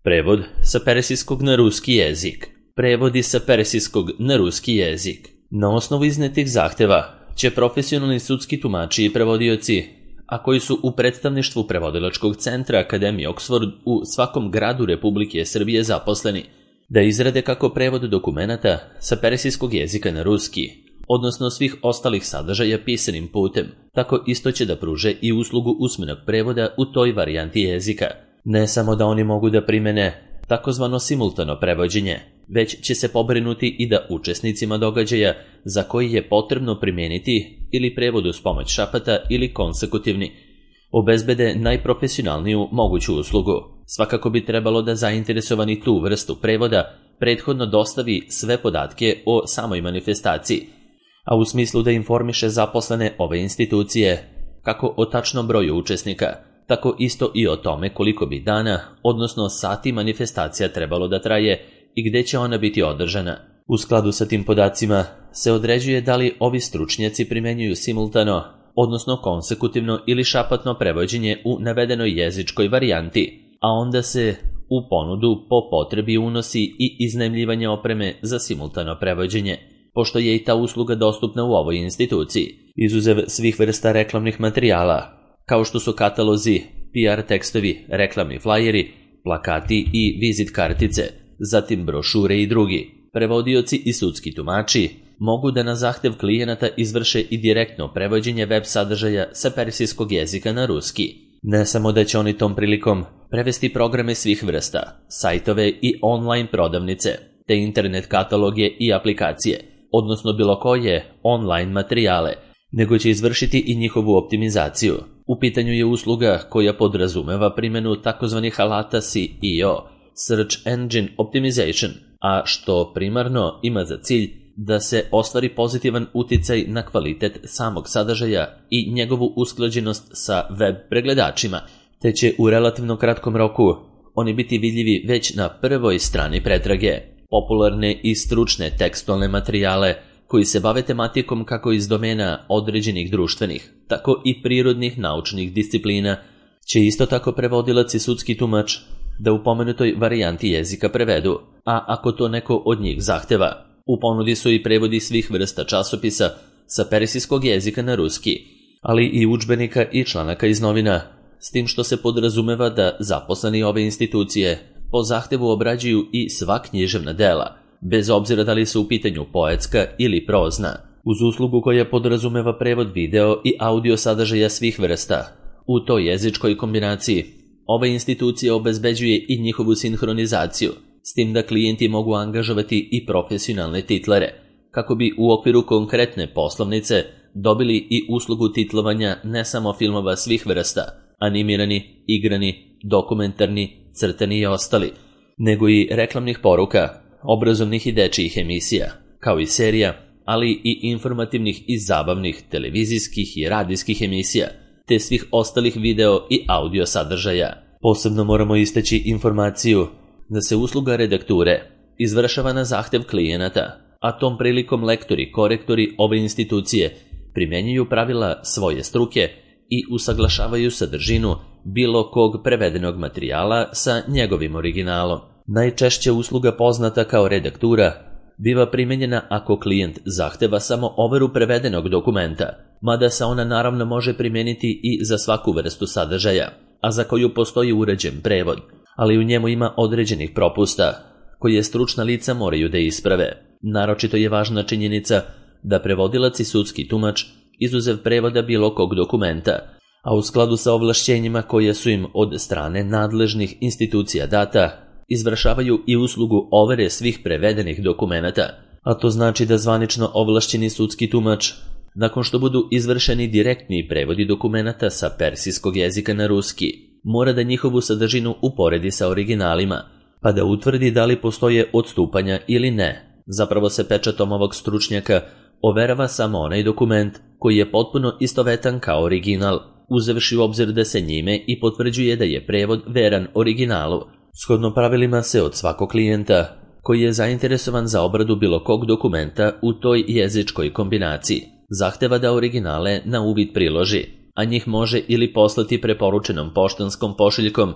Prevod sa persijskog na ruski jezik. Prevodi sa persijskog na ruski jezik. Na osnovu iznetih zahteva će profesionalni sudski tumači i prevodioci, a koji su u predstavništvu prevodilačkog centra Akademije Oxford u svakom gradu Republike Srbije zaposleni, da izrade kako prevod dokumenata sa persijskog jezika na ruski, odnosno svih ostalih sadržaja pisanim putem, tako isto će da pruže i uslugu usmenog prevoda u toj varijanti jezika. Ne samo da oni mogu da primene takozvano simultano prevođenje, već će se pobrinuti i da učesnicima događaja za koji je potrebno primijeniti ili prevod uz pomoć šapata ili konsekutivni, obezbede najprofesionalniju moguću uslugu. Svakako bi trebalo da zainteresovani tu vrstu prevoda prethodno dostavi sve podatke o samoj manifestaciji, a u smislu da informiše zaposlene ove institucije kako o tačnom broju učesnika, tako isto i o tome koliko bi dana, odnosno sati manifestacija trebalo da traje i gde će ona biti održana. U skladu sa tim podacima se određuje da li ovi stručnjaci primenjuju simultano, odnosno konsekutivno ili šapatno prevođenje u navedenoj jezičkoj varijanti, a onda se u ponudu po potrebi unosi i iznajmljivanje opreme za simultano prevođenje, pošto je i ta usluga dostupna u ovoj instituciji, izuzev svih vrsta reklamnih materijala, kao što su katalozi, PR tekstovi, reklamni flajeri, plakati i vizit kartice, zatim brošure i drugi. Prevodioci i sudski tumači mogu da na zahtev klijenata izvrše i direktno prevođenje web sadržaja sa persijskog jezika na ruski. Ne samo da će oni tom prilikom prevesti programe svih vrsta, sajtove i online prodavnice, te internet kataloge i aplikacije, odnosno bilo koje online materijale, nego će izvršiti i njihovu optimizaciju. U pitanju je usluga koja podrazumeva primjenu takozvanih alata SEO, Search Engine Optimization, a što primarno ima za cilj da se ostvari pozitivan uticaj na kvalitet samog sadržaja i njegovu usklađenost sa web pregledačima, te će u relativno kratkom roku oni biti vidljivi već na prvoj strani pretrage. Popularne i stručne tekstualne materijale koji se bave tematikom kako iz domena određenih društvenih, tako i prirodnih naučnih disciplina, će isto tako prevodilac i sudski tumač da u pomenutoj varijanti jezika prevedu, a ako to neko od njih zahteva. U ponudi su i prevodi svih vrsta časopisa sa persijskog jezika na ruski, ali i udžbenika i članaka iz novina, s tim što se podrazumeva da zaposleni ove institucije po zahtevu obrađuju i sva književna dela, bez obzira da li su u pitanju poetska ili prozna, uz uslugu koja podrazumeva prevod video i audio sadržaja svih vrsta. U toj jezičkoj kombinaciji ova institucija obezbeđuje i njihovu sinhronizaciju, s tim da klijenti mogu angažovati i profesionalne titlere, kako bi u okviru konkretne poslovnice dobili i uslugu titlovanja ne samo filmova svih vrsta, animirani, igrani, dokumentarni, crtani i ostali, nego i reklamnih poruka, obrazovnih i dečijih emisija, kao i serija, ali i informativnih i zabavnih televizijskih i radijskih emisija, te svih ostalih video i audio sadržaja. Posebno moramo istaći informaciju da se usluga redakture izvršava na zahtev klijenata, a tom prilikom lektori, korektori ove institucije primjenjuju pravila svoje struke i usaglašavaju sadržinu bilo kog prevedenog materijala sa njegovim originalom. Najčešće usluga poznata kao redaktura biva primjenjena ako klijent zahteva samo overu prevedenog dokumenta, mada se ona naravno može primijeniti i za svaku vrstu sadržaja, a za koju postoji uređen prevod, ali u njemu ima određenih propusta koje stručna lica moraju da isprave. Naročito je važna činjenica da prevodilac i sudski tumač, izuzev prevoda bilo kog dokumenta, a u skladu sa ovlašćenjima koje su im od strane nadležnih institucija data, izvršavaju i uslugu overe svih prevedenih dokumenata, a to znači da zvanično ovlašćeni sudski tumač, nakon što budu izvršeni direktni prevodi dokumenata sa persijskog jezika na ruski, mora da njihovu sadržinu uporedi sa originalima, pa da utvrdi da li postoje odstupanja ili ne. Zapravo se pečatom ovog stručnjaka overava samo onaj dokument koji je potpuno istovetan kao original, uzevši u obzir da se njime i potvrđuje da je prevod veran originalu. Shodno pravilima se od svakog klijenta koji je zainteresovan za obradu bilo kog dokumenta u toj jezičkoj kombinaciji zahteva da originale na uvid priloži, a njih može ili poslati preporučenom poštanskom pošiljkom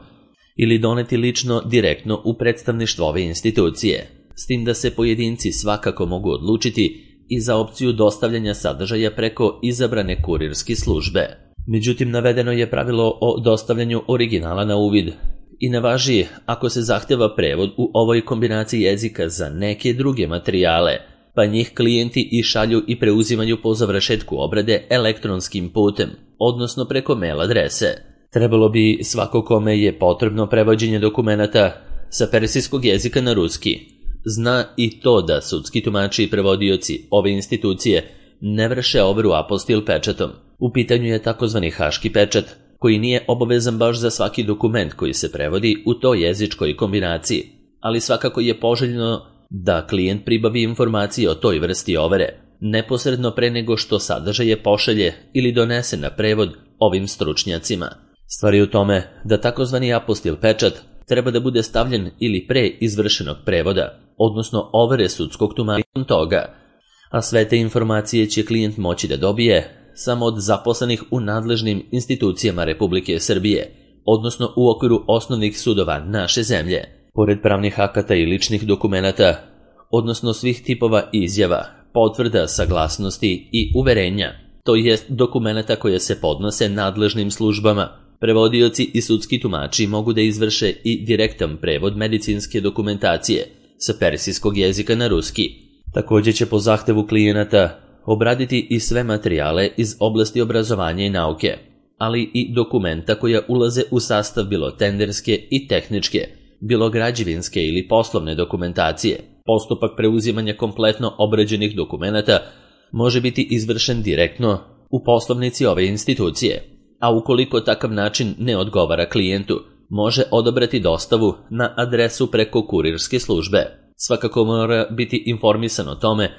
ili doneti lično direktno u predstavništvo ove institucije, s tim da se pojedinci svakako mogu odlučiti i za opciju dostavljanja sadržaja preko izabrane kurirske službe. Međutim, navedeno je pravilo o dostavljanju originala na uvid i ne važi ako se zahteva prevod u ovoj kombinaciji jezika za neke druge materijale, pa njih klijenti i šalju i preuzimaju po završetku obrade elektronskim putem, odnosno preko mail adrese. Trebalo bi svako kome je potrebno prevođenje dokumenata sa persijskog jezika na ruski zna i to da sudski tumači i prevodioci ove institucije ne vrše overu apostil pečatom. U pitanju je takozvani haški pečat, koji nije obavezan baš za svaki dokument koji se prevodi u toj jezičkoj kombinaciji, ali svakako je poželjno da klijent pribavi informacije o toj vrsti overe, neposredno pre nego što sadržaje pošalje ili donese na prevod ovim stručnjacima. Stvar je u tome da takozvani apostil pečat treba da bude stavljen ili pre izvršenog prevoda, odnosno overe sudskog tumačenja toga, a sve te informacije će klijent moći da dobije samo od zaposlenih u nadležnim institucijama Republike Srbije, odnosno u okviru osnovnih sudova naše zemlje. Pored pravnih akata i ličnih dokumenata, odnosno svih tipova izjava, potvrda, saglasnosti i uverenja, to jest dokumenata koje se podnose nadležnim službama, prevodioci i sudski tumači mogu da izvrše i direktan prevod medicinske dokumentacije sa persijskog jezika na ruski. Također će po zahtevu klijenata obraditi i sve materijale iz oblasti obrazovanja i nauke, ali i dokumenta koja ulaze u sastav bilo tenderske i tehničke, bilo građevinske ili poslovne dokumentacije. Postupak preuzimanja kompletno obrađenih dokumenata može biti izvršen direktno u poslovnici ove institucije, a ukoliko takav način ne odgovara klijentu, može odabrati dostavu na adresu preko kurirske službe. Svakako mora biti informisan o tome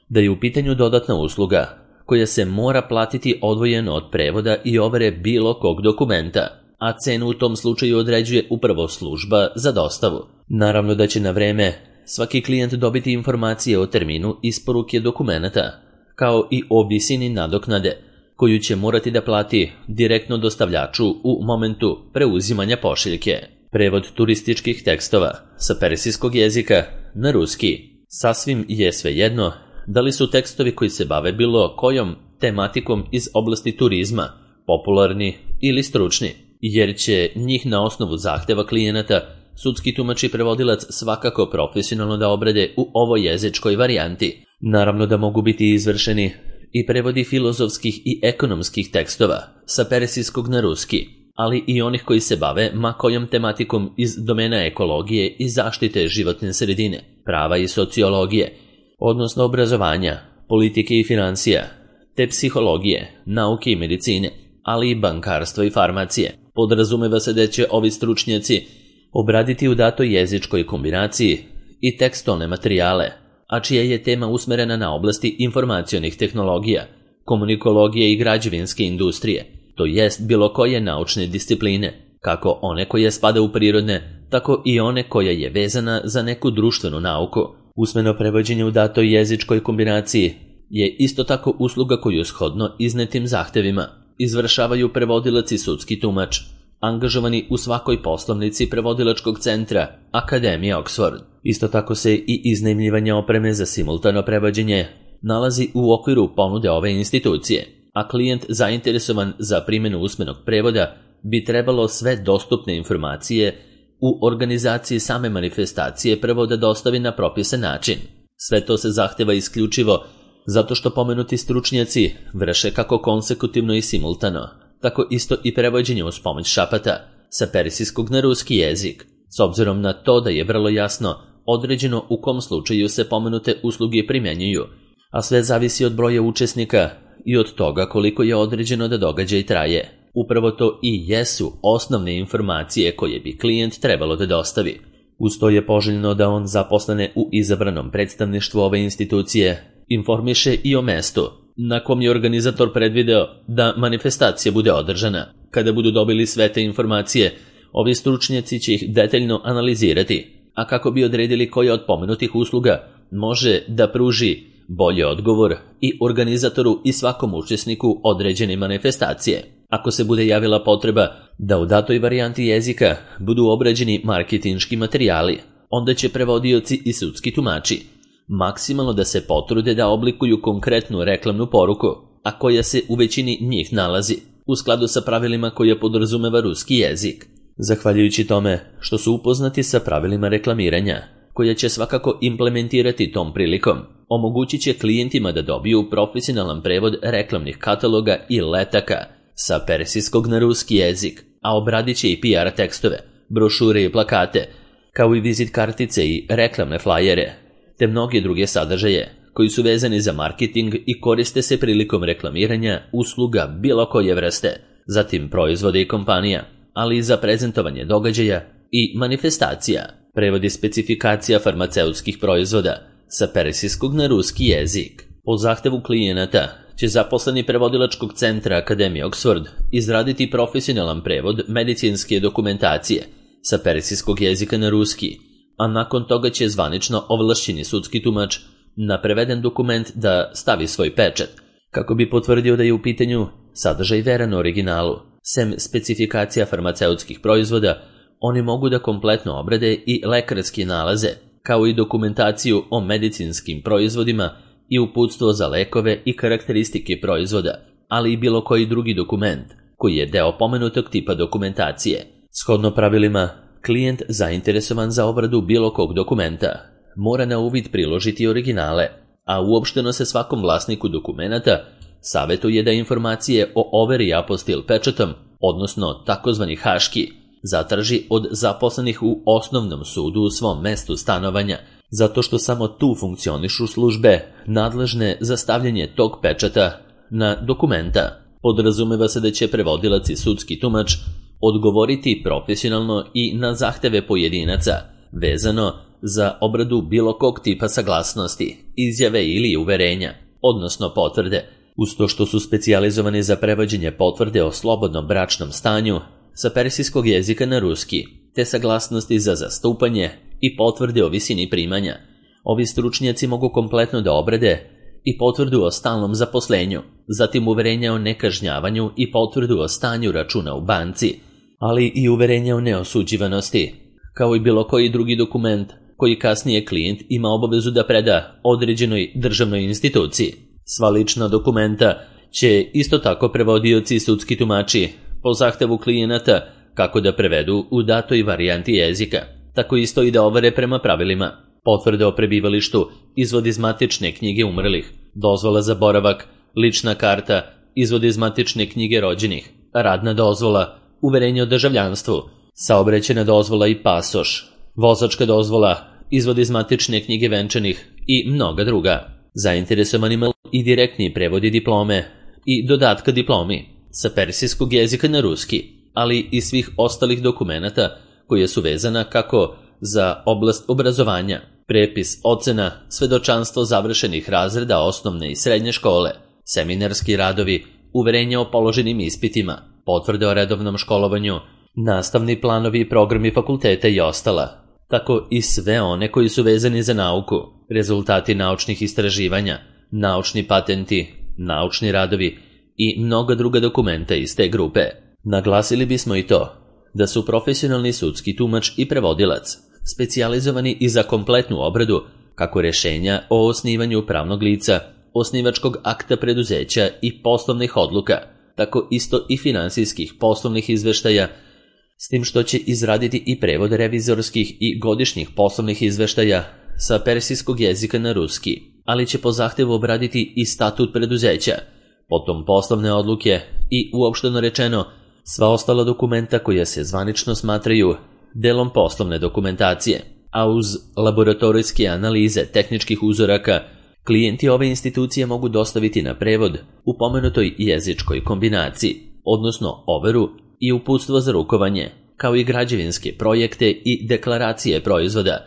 da je u pitanju dodatna usluga koja se mora platiti odvojeno od prevoda i overe bilo kog dokumenta, a cenu u tom slučaju određuje upravo služba za dostavu. Naravno da će na vreme svaki klijent dobiti informacije o terminu isporuke dokumenata, kao i o visini nadoknade koju će morati da plati direktno dostavljaču u momentu preuzimanja pošiljke. Prevod turističkih tekstova sa persijskog jezika na ruski. Sasvim je svejedno da li su tekstovi koji se bave bilo kojom tematikom iz oblasti turizma, popularni ili stručni, jer će njih na osnovu zahteva klijenata sudski tumač i prevodilac svakako profesionalno da obrade u ovoj jezičkoj varijanti. Naravno da mogu biti izvršeni i prevodi filozofskih i ekonomskih tekstova sa persijskog na ruski, ali i onih koji se bave ma kojom tematikom iz domena ekologije i zaštite životne sredine, prava i sociologije, odnosno obrazovanja, politike i financija, te psihologije, nauke i medicine, ali i bankarstva i farmacije. Podrazumeva se da će ovi stručnjaci obraditi u datoj jezičkoj kombinaciji i tekstualne materijale, a čija je tema usmerena na oblasti informacionih tehnologija, komunikologije i građevinske industrije, to jest bilo koje naučne discipline, kako one koje spada u prirodne, tako i one koja je vezana za neku društvenu nauku. Usmeno prevođenje u datoj jezičkoj kombinaciji je isto tako usluga koju shodno iznetim zahtevima izvršavaju prevodilac i sudski tumač, angažovani u svakoj poslovnici prevodilačkog centra Akademije Oxford. Isto tako se i iznajmljivanje opreme za simultano prevođenje nalazi u okviru ponude ove institucije, a klijent zainteresovan za primjenu usmenog prevoda bi trebalo sve dostupne informacije u organizaciji same manifestacije prvo da dostavi na propisan način. Sve to se zahteva isključivo zato što pomenuti stručnjaci vrše kako konsekutivno i simultano, tako isto i prevođenje uz pomoć šapata sa persijskog na ruski jezik, s obzirom na to da je vrlo jasno određeno u kom slučaju se pomenute usluge primjenjuju, a sve zavisi od broja učesnika i od toga koliko je određeno da događaj traje. Upravo to i jesu osnovne informacije koje bi klijent trebalo da dostavi. Uz to je poželjno da on zaposlene u izabranom predstavništvu ove institucije informiše i o mestu na kom je organizator predvideo da manifestacija bude održana. Kada budu dobili sve te informacije, ovi stručnjaci će ih detaljno analizirati, a kako bi odredili koja od pomenutih usluga može da pruži bolji odgovor i organizatoru i svakom učesniku određene manifestacije. Ako se bude javila potreba da u datoj varijanti jezika budu obrađeni marketinški materijali, onda će prevodioci i sudski tumači maksimalno da se potrude da oblikuju konkretnu reklamnu poruku, a koja se u većini njih nalazi u skladu sa pravilima koja podrazumeva ruski jezik. Zahvaljujući tome što su upoznati sa pravilima reklamiranja, koja će svakako implementirati tom prilikom, omogućit će klijentima da dobiju profesionalan prevod reklamnih kataloga i letaka sa persijskog na ruski jezik, a obradit će i PR tekstove, brošure i plakate, kao i vizit kartice i reklamne flajere, te mnoge druge sadržaje koji su vezani za marketing i koriste se prilikom reklamiranja usluga bilo koje vrste, zatim proizvoda i kompanija, ali i za prezentovanje događaja i manifestacija, prevodi specifikacija farmaceutskih proizvoda sa persijskog na ruski jezik. Po zahtevu klijenata će zaposleni prevodilačkog centra Akademije Oxford izraditi profesionalan prevod medicinske dokumentacije sa persijskog jezika na ruski, a nakon toga će zvanično ovlašćeni sudski tumač na preveden dokument da stavi svoj pečat, kako bi potvrdio da je u pitanju sadržaj veran originalu. Sem specifikacija farmaceutskih proizvoda, oni mogu da kompletno obrade i lekarske nalaze, kao i dokumentaciju o medicinskim proizvodima i uputstvo za lekove i karakteristike proizvoda, ali i bilo koji drugi dokument koji je deo pomenutog tipa dokumentacije. Shodno pravilima, klijent zainteresovan za obradu bilo kog dokumenta mora na uvid priložiti originale, a uopšteno se svakom vlasniku dokumenata savjetuje da informacije o overi apostil pečatom, odnosno takozvani haški, zatraži od zaposlenih u osnovnom sudu u svom mestu stanovanja, zato što samo tu funkcionišu službe nadležne za stavljanje tog pečata na dokumenta. Podrazumeva se da će prevodilac i sudski tumač odgovoriti profesionalno i na zahteve pojedinaca, vezano za obradu bilo kog tipa saglasnosti, izjave ili uverenja, odnosno potvrde, uz to što su specijalizovani za prevođenje potvrde o slobodnom bračnom stanju sa persijskog jezika na ruski, te saglasnosti za zastupanje i potvrde o visini primanja. Ovi stručnjaci mogu kompletno da obrade i potvrdu o stalnom zaposlenju, zatim uverenja o nekažnjavanju i potvrdu o stanju računa u banci, ali i uverenja o neosuđivanosti, kao i bilo koji drugi dokument koji kasnije klijent ima obavezu da preda određenoj državnoj instituciji. Sva lična dokumenta će isto tako prevodioci i sudski tumači po zahtevu klijenata kako da prevedu u datoj varijanti jezika, tako isto i da overe prema pravilima. Potvrde o prebivalištu, izvod iz matične knjige umrlih, dozvola za boravak, lična karta, izvod iz matične knjige rođenih, radna dozvola, uverenje o državljanstvu, saobraćajna dozvola i pasoš, vozačka dozvola, izvod iz matične knjige venčanih i mnoga druga. Zainteresovanima i direktni prevodi diplome i dodatka diplomi sa persijskog jezika na ruski, ali i svih ostalih dokumenata koje su vezana kako za oblast obrazovanja, prepis ocena, svedočanstvo završenih razreda osnovne i srednje škole, seminarski radovi, uverenja o položenim ispitima, potvrde o redovnom školovanju, nastavni planovi i programi fakulteta i ostala, tako i sve one koji su vezani za nauku, rezultati naučnih istraživanja, naučni patenti, naučni radovi i mnoga druga dokumenta iz te grupe. Naglasili bismo i to da su profesionalni sudski tumač i prevodilac specijalizovani i za kompletnu obradu kako rešenja o osnivanju pravnog lica, osnivačkog akta preduzeća i poslovnih odluka, tako isto i finansijskih poslovnih izveštaja, s tim što će izraditi i prevod revizorskih i godišnjih poslovnih izveštaja sa persijskog jezika na ruski, ali će po zahtevu obraditi i statut preduzeća, potom poslovne odluke i, uopšteno rečeno, sva ostala dokumenta koja se zvanično smatraju delom poslovne dokumentacije, a uz laboratorijske analize tehničkih uzoraka, klijenti ove institucije mogu dostaviti na prevod u pomenutoj jezičkoj kombinaciji, odnosno overu i uputstvo za rukovanje, kao i građevinske projekte i deklaracije proizvoda,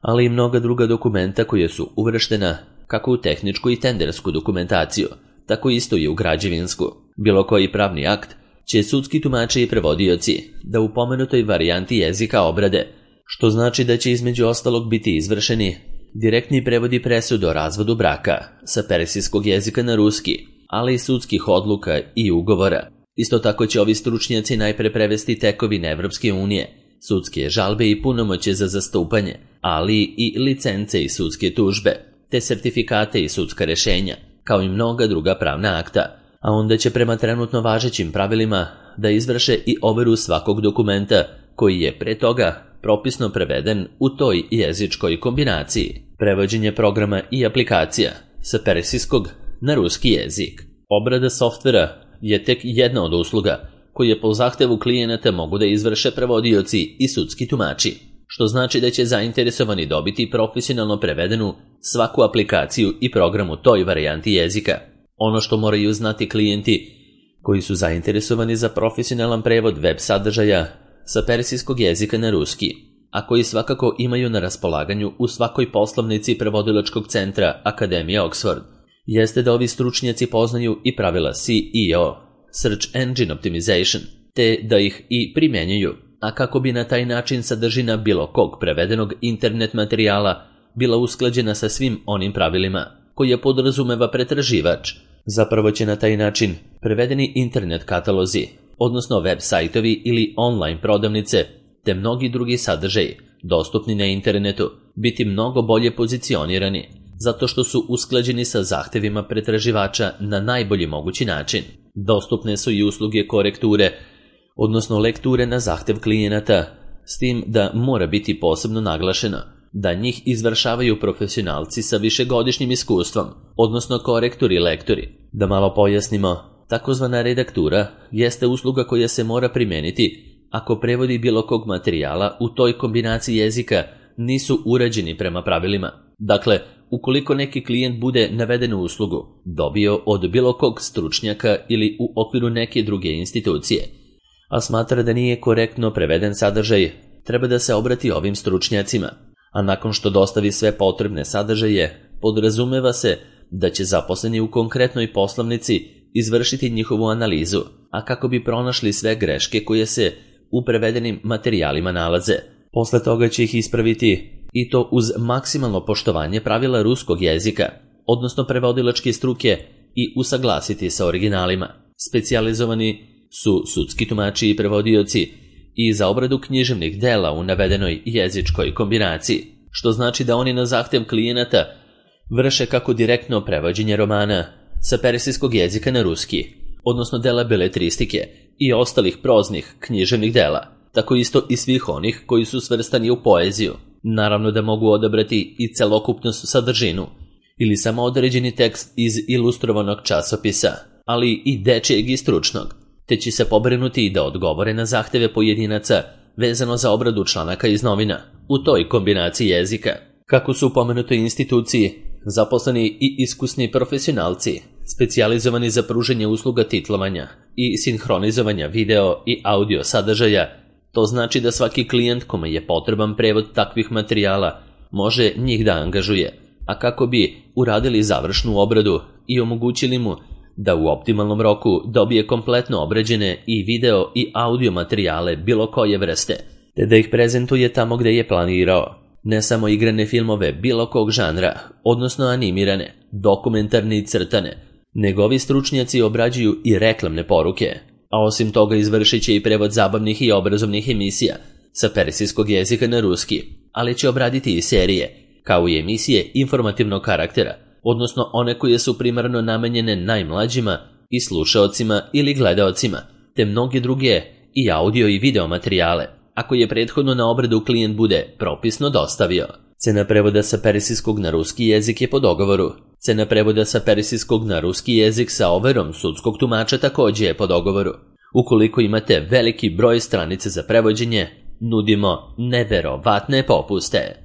ali i mnoga druga dokumenta koja su uvrštena kako u tehničku i tendersku dokumentaciju, tako isto i u građevinsku. Bilo koji pravni akt će sudski tumači i prevodioci da u pomenutoj varijanti jezika obrade, što znači da će između ostalog biti izvršeni direktni prevodi presude o razvodu braka sa persijskog jezika na ruski, ali i sudskih odluka i ugovora, Isto tako će ovi stručnjaci najpre prevesti tekovine Evropske unije, sudske žalbe i punomoćje za zastupanje, ali i licence i sudske tužbe, te sertifikate i sudska rešenja, kao i mnoga druga pravna akta, a onda će prema trenutno važećim pravilima da izvrše i overu svakog dokumenta koji je pre toga propisno preveden u toj jezičkoj kombinaciji. Prevođenje programa i aplikacija sa persijskog na ruski jezik. Obrada softvera je tek jedna od usluga koje po zahtevu klijenata mogu da izvrše prevodioci i sudski tumači, što znači da će zainteresovani dobiti profesionalno prevedenu svaku aplikaciju i program u toj varijanti jezika. Ono što moraju znati klijenti koji su zainteresovani za profesionalan prevod web sadržaja sa persijskog jezika na ruski, a koji svakako imaju na raspolaganju u svakoj poslovnici prevodilačkog centra Akademije Oxford, jeste da ovi stručnjaci poznaju i pravila SEO, Search Engine Optimization, te da ih i primjenjuju, a kako bi na taj način sadržina bilo kog prevedenog internet materijala bila usklađena sa svim onim pravilima koje podrazumeva pretraživač. Zapravo će na taj način prevedeni internet katalozi, odnosno web sajtovi ili online prodavnice, te mnogi drugi sadržaji dostupni na internetu biti mnogo bolje pozicionirani, zato što su usklađeni sa zahtevima pretraživača na najbolji mogući način. Dostupne su i usluge korekture, odnosno lekture na zahtev klijenata, s tim da mora biti posebno naglašeno da njih izvršavaju profesionalci sa višegodišnjim iskustvom, odnosno korektori i lektori. Da malo pojasnimo, takozvana redaktura jeste usluga koja se mora primijeniti ako prevodi bilo kog materijala u toj kombinaciji jezika nisu urađeni prema pravilima. Dakle, ukoliko neki klijent bude navedenu uslugu dobio od bilo kog stručnjaka ili u okviru neke druge institucije, a smatra da nije korektno preveden sadržaj, treba da se obrati ovim stručnjacima, a nakon što dostavi sve potrebne sadržaje, podrazumeva se da će zaposleni u konkretnoj poslovnici izvršiti njihovu analizu, a kako bi pronašli sve greške koje se u prevedenim materijalima nalaze. Posle toga će ih ispraviti i to uz maksimalno poštovanje pravila ruskog jezika, odnosno prevodilačke struke, i usaglasiti sa originalima. Specijalizovani su sudski tumači i prevodioci i za obradu književnih dela u navedenoj jezičkoj kombinaciji, što znači da oni na zahtev klijenata vrše kako direktno prevođenje romana sa persijskog jezika na ruski, odnosno dela beletristike i ostalih proznih književnih dela, tako isto i svih onih koji su svrstani u poeziju. Naravno da mogu odabrati i celokupnu sadržinu ili samo određeni tekst iz ilustrovanog časopisa, ali i dečijeg i stručnog, te će se pobrinuti da odgovore na zahteve pojedinaca vezano za obradu članaka iz novina u toj kombinaciji jezika. Kako su u pomenutoj instituciji zaposleni i iskusni profesionalci, specijalizovani za pružanje usluga titlovanja i sinhronizovanja video i audio sadržaja, to znači da svaki klijent kome je potreban prevod takvih materijala može njih da angažuje, a kako bi uradili završnu obradu i omogućili mu da u optimalnom roku dobije kompletno obrađene i video i audio materijale bilo koje vrste, te da ih prezentuje tamo gde je planirao. Ne samo igrane filmove bilo kog žanra, odnosno animirane, dokumentarne i crtane, nego ovi stručnjaci obrađuju i reklamne poruke, a osim toga izvršit će i prevod zabavnih i obrazovnih emisija sa persijskog jezika na ruski, ali će obraditi i serije, kao i emisije informativnog karaktera, odnosno one koje su primarno namenjene najmlađima i slušaocima ili gledaocima, te mnoge druge i audio i video materijale, ako je prethodno na obradu klijent bude propisno dostavio. Cena prevoda sa persijskog na ruski jezik je po dogovoru. Cena prevoda sa persijskog na ruski jezik sa overom sudskog tumača također je po dogovoru. Ukoliko imate veliki broj stranice za prevođenje, nudimo neverovatne popuste.